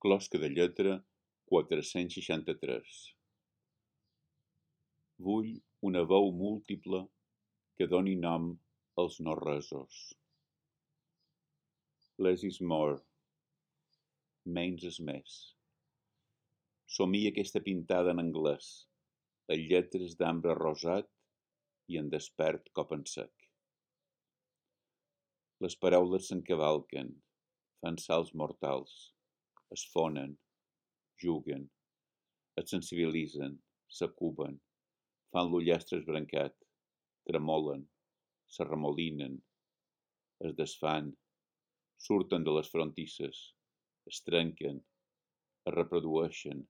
Closca de lletra 463. Vull una veu múltiple que doni nom als no-resos. Less is more. Menys és més. Somia aquesta pintada en anglès, en lletres d'ambre rosat i en despert cop en sec. Les paraules s'encavalquen, fan salts mortals, es fonen, juguen, et sensibilitzen, s'acuben, fan l'ullastre esbrancat, tremolen, s'arremolinen, es desfan, surten de les frontisses, es trenquen, es reprodueixen,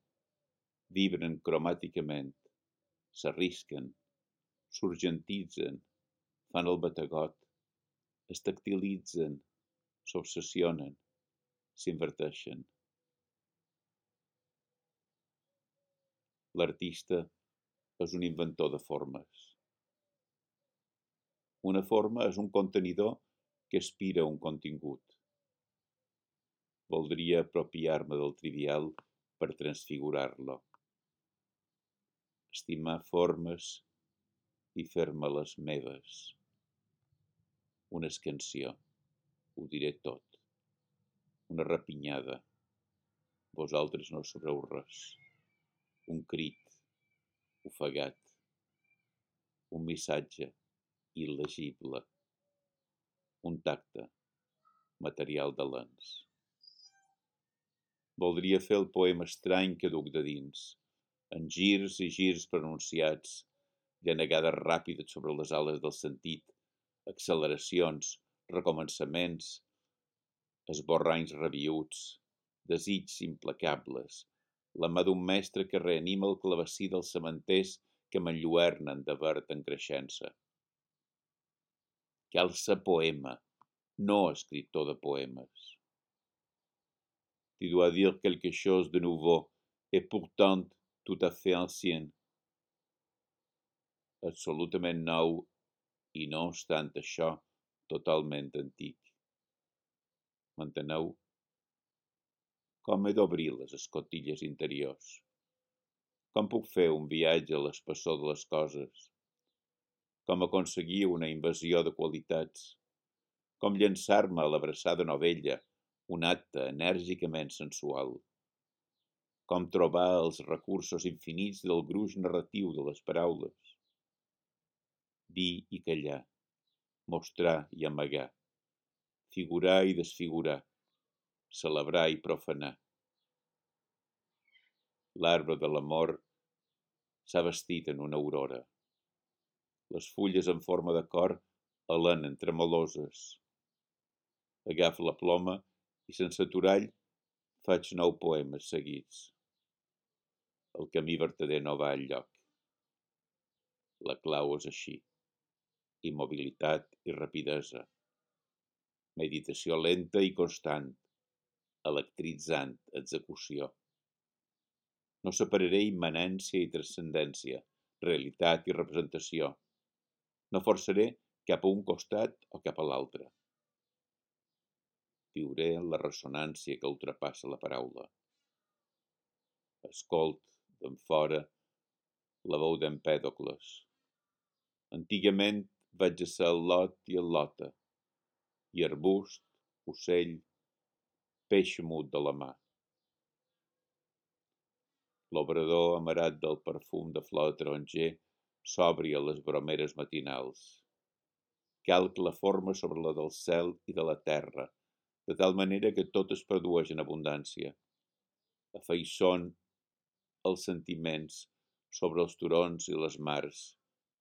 vibren cromàticament, s'arrisquen, s'urgentitzen, fan el bategot, es tactilitzen, s'obsessionen, s'inverteixen. L'artista és un inventor de formes. Una forma és un contenidor que aspira a un contingut. Voldria apropiar-me del trivial per transfigurar-lo. Estimar formes i fer-me-les meves. Una escansió, ho diré tot. Una rapinyada, vosaltres no sabreu res. Un crit, ofegat. Un missatge, il·legible. Un tacte, material de lents. Voldria fer el poema estrany que duc de dins, en girs i girs pronunciats, llanegades ràpides sobre les ales del sentit, acceleracions, recomençaments, esborranys rabiüts, desigs implacables, la mà d'un mestre que reanima el clavecí dels cementers que m'enlluernen de verd en creixença. Cal ser poema, no escriptor de poemes. Tu dois dire quelque chose de nouveau, et pourtant tout à fait ancien. Absolutament nou, i no obstant això, totalment antic. M'enteneu? Com he d'obrir les escotilles interiors? Com puc fer un viatge a l'espessor de les coses? Com aconseguir una invasió de qualitats? Com llançar-me a l'abraçada novella, un acte enèrgicament sensual? Com trobar els recursos infinits del gruix narratiu de les paraules? Dir i callar, mostrar i amagar, figurar i desfigurar, celebrar i profanar. L'arbre de l'amor s'ha vestit en una aurora. Les fulles en forma de cor alenen tremoloses. Agafo la ploma i sense aturall faig 9 poemes seguits. El camí vertader no va enlloc. La clau és així. Immobilitat i rapidesa. Meditació lenta i constant. Electritzant execució. No separaré immanència i transcendència, realitat i representació. No forçaré cap a un costat o cap a l'altre. Viuré en la ressonància que ultrapassa la paraula. Escolt, d'en fora, la veu d'Empèdocles. Antigament vaig ser el lot i el lota, i arbust, ocell, peix mut de la mà. L'obrador amarat del perfum de flor de taronger s'obri a les bromeres matinals. Calc la forma sobre la del cel i de la terra, de tal manera que tot es produeix en abundància. Afaiçon els sentiments sobre els turons i les mars,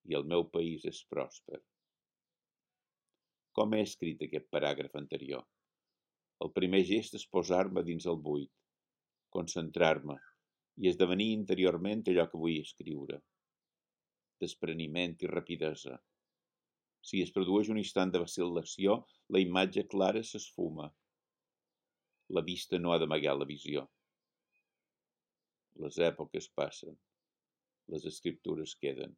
i el meu país és pròsper. Com he escrit aquest paràgraf anterior? El primer gest és posar-me dins el buit, concentrar-me i esdevenir interiorment allò que vull escriure. Despreniment i rapidesa. Si es produeix un instant de vacil·lació, la imatge clara s'esfuma. La vista no ha d'amagar la visió. Les èpoques passen. Les escriptures queden.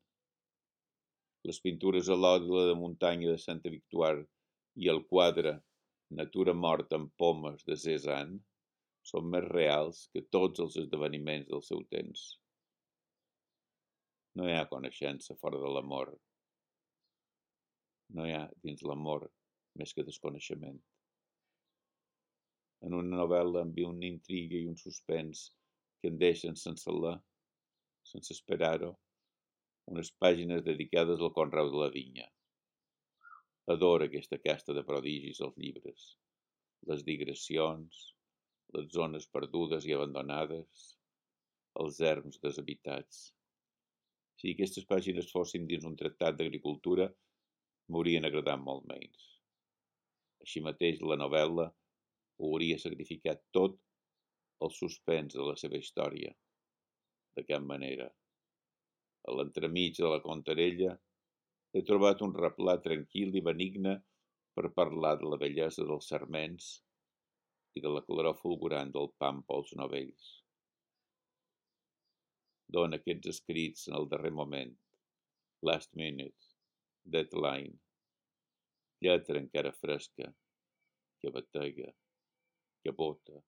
Les pintures a l'òdula de muntanya de Santa Victoire i el quadre Natura morta amb pomes de Cézanne són més reals que tots els esdeveniments del seu temps. No hi ha coneixença fora de l'amor. No hi ha dins l'amor més que desconeixement. En una novel·la amb una intriga i un suspens que em deixen sense sense esperar-ho, unes pàgines dedicades al conreu de la vinya. Adoro aquesta casta de prodigis als llibres, les digressions, les zones perdudes i abandonades, els erms deshabitats. Si aquestes pàgines fossin dins un tractat d'agricultura, m'haurien agradat molt menys. Així mateix, la novel·la ho hauria sacrificat tot el suspens de la seva història. De cap manera. A l'entremig de la contarella he trobat un replà tranquil i benigne per parlar de la bellesa dels sarments i de la claror fulgurant del pam pels novells. Dona aquests escrits en el darrer moment, last minute, deadline, lletra encara fresca, que batega, que bota,